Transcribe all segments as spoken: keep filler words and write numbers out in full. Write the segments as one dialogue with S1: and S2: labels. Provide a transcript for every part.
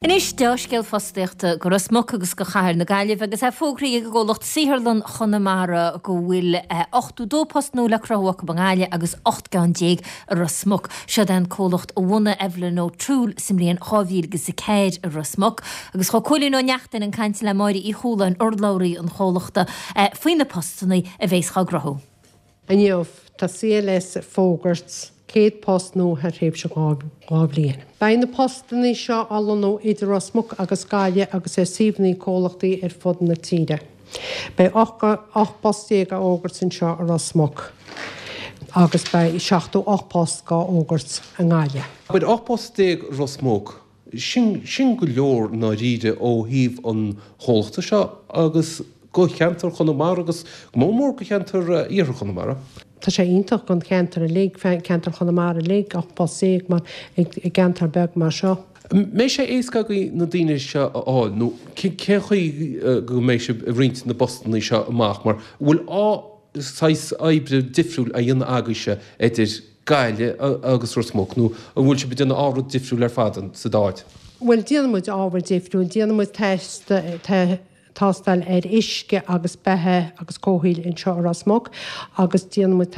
S1: Anois dea-scéal fostaíochta go Ros Muc agus go Chathair na Gaillimhe agus é fógraithe ag an gcomhlacht Saotharlann Chonamara go bhfuil ochtó dó post nua le cruthú acu i nGaillimh agus ocht gceann déag i Ros Muc. Seo é an comhlacht a bhunaigh Evelyn O'Toole sa mbliain dhá mhíle agus a ceathair i Ros Muc. Agus chuaigh Cóilín Ó Neachtain chun cainte le Máire Uí Chualáin, urlabhraí an chomhlachta, faoi na postanna a bheas á gcruthú.
S2: Inniu, tá C L S ag fógairt céad post nua thar thréimhse dhá bhliain. Beidh na postanna seo á lonnú idir Ros Muc agus Gaillimh agus ar suíomhanna comhlachtaí ar fud na tíre. Beidh ocht bpost déag á fhógairt anseo i Ros Muc agus beidh seachtó ocht post á fhógairt i nGaillimh.
S3: Beidh ocht post déag Ros Muc, sin sin go leor ndáiríre ó thaobh an chomhlachta seo agus go cheantar Chonamara agus mór mór go cheantar iarthar Chonamara.
S2: Tá sé iontach don cheantar uilig, ceantar Chonamara uilig, ocht bpost déag mar i gceantar beag mar seo.
S3: Mbeidh sé éasca agaibh na daoine seo a fháil nó cén chaoi go mbeidh sibh ag roinnt na bpostanna seo amach mar bhfuil á saghas oibre difriúil a dhéanamh agaibhse idir Gaillimh agus Ros Muc nó an bhfuil sibh ag déanamh ábhar difriúil ar fad sa dá áit?
S2: Bhuel, déanann muid ábhar difriúil, déanann muid tástáil ar uisce agus beatha agus comhshaoil anseo i Ros Muc agus déanann muid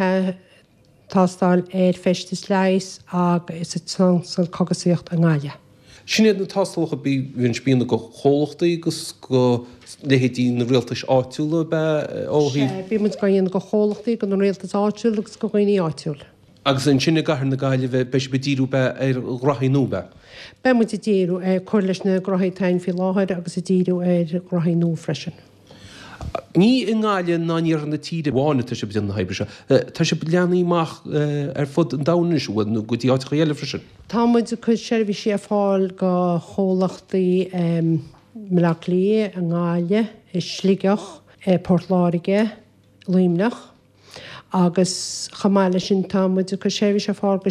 S2: tástáil ar feistis leighis agus sa chógaisíocht i nGaillimh.
S3: Sin iad na tástálacha bíonn bíonn go chomhlachtaí agus go leithéidí na rialtais áitiúla be ó thaobh.
S2: Bíonn muid ag déanamh go chomhlachtaí, go na rialtais áitiúil agus go dhaoine áitiúil.
S3: Agus ansin i gCathair na Gaillimhe beidh sibh ag díriú be ar ghraithí nua be.
S2: Beidh muid ag díriú ar cur leis na graithí atá ann faoi láthair agus ag díriú ar ghraithí nua freisin.
S3: Ní i nGaillimh ná in iarthar na tíre amháin atá sibh ag déanamh na hoibre seo. Tá sibh leathnaithe amach ar fud an domhain anois bhfuil nó go dtí áiteacha eile freisin.
S2: Tá muid ag cur seirbhísí ar fáil go chomhlachtaí i mBaile Átha Cliath, i nGaillimh, i Sligeach, i Port Láirge, Luimneach, agus chomh maith leis sin tá muid ag cur seirbhís ar fáil go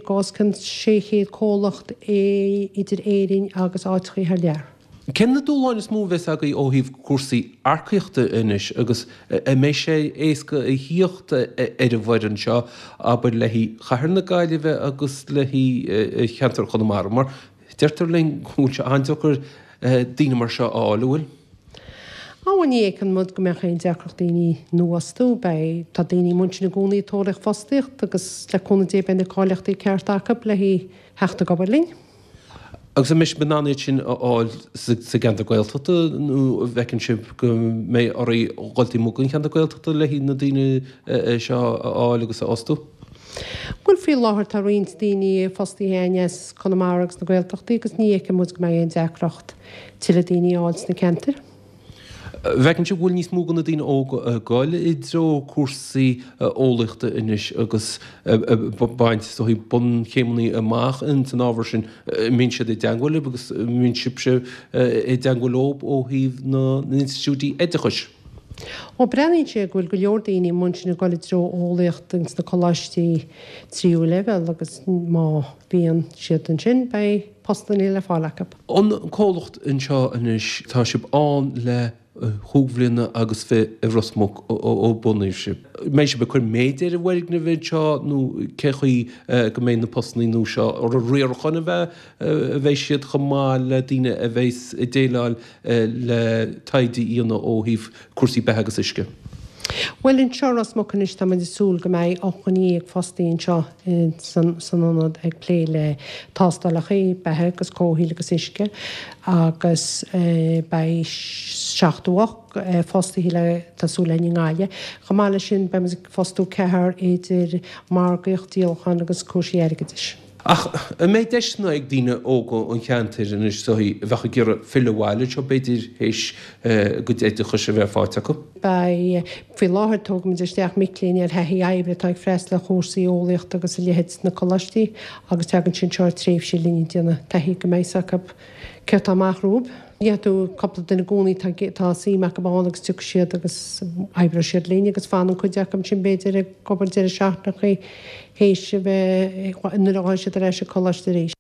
S2: go os cionn sé chéad comhlacht idir Éirinn agus áiteacha thar lear.
S3: Cén na dúshláin is mó a bheas agaibh ó thaobh cúrsaí earcaíochta anois agus an mbeidh sé éasca a thíocht ar an bhfoireann seo abair le haghaidh Chathair na Gaillimhe agus le haghaidh cheantar Chonamara mar deirtear linn go bhfuil sé an-deacair daoine mar seo a fháil bhfuil.
S2: Á ní fheiceann muid go mbeadh aon deacracht daoine nua a fhostú, beidh tá daoine amuigh ansin i gcónaí ag tóraíocht fostaíocht agus le cúnamh Dé beidh na cáilíochtaí cearta acu le theacht ag obair linn.
S3: Agus an mbeidh sibh in ann iad sin a fháil sa gceantar Gaeltachta nó an bhfeiceann sibh go mbeidh oraibh dul taobh amuigh den cheantar Gaeltachta le haghaidh na daoine seo a fháil agus a fhostú?
S2: Bhuel, faoi láthair tá roinnt daoine fostaithe againn as Conamara agus na Gaeltachtaí agus ní fheiceann muid go mbeidh aon deacracht tuilleadh daoine a fháil sna ceantair.
S3: Bhfeiceann sibh go bhfuil níos mó de na daoine óga ag goil i dtreo cúrsaí eolaíochta anois agus baint so bunchéimeanna amach in san ábhar sin mbíonn siad i dteagmháil libh agus mbíonn sibhse i dteagmháil leo ó thaobh na n-institiúidí oideachais.
S2: Ó breathnaíonn sé go bhfuil go leor daoine amuigh ansin ag goil i dtreo eolaíocht ins na coláistí tríú leibhéal agus má bhíonn siad ansin beidh postanna le fáil acu.
S3: An comhlacht anseo anois tá sibh ann le chúig bhliana agus fiche i Ros Muc ó bunaíodh sibh. Mbeidh sibh ag cur méid ar an bhfoirgneamh anseo nó cé chaoi go mbeidh na postanna nua seo ar riaracháin a bheith a bheidh siad chomh maith le daoine a bheidh ag déileáil le taighde a dhéanamh ó thaobh cúrsaí beatha agus uisce.
S2: Bhuel, anseo i Ros Muc anois tá muid ag súil go mbeidh ocht dhuine déag fostaí anseo san san ionad ag plé le tástálacha beatha agus comhshaoil agus uisce agus beidh seachtó ocht fostaithe le tá súil againn i nGaillimh. Chomh maith leis sin beidh muid ag fostú ceathrar idir margaíocht, díolachán agus cúrsaí airgeadais.
S3: Ach an mbeidh deiseanna ag daoine óga an cheantair anois so a bheadh ag iarraidh filleadh abhaile seo b'fhéidir théis a gcuid oideachais a bheith faighte acu?
S2: Beidh faoi láthair tógaimid isteach mic léinn ar thaithí oibre atá ag freastal ar chúrsaí eolaíochta agus a leithéid sna coláistí agus tagann siad anseo ar tréimhse linn ag déanamh taithí go mbeidh acu céard atá amach rompu. Gheobhaidh tú cúpla duine i gcónaí tá tá suim acu ann agus tiocfaidh siad agus oibreoidh siad linn agus fanann cuid acu ansin b'fhéidir ag obair deireadh seachtaine théis a bheith nuair a ghabhann siad ar ais ag coláiste arís.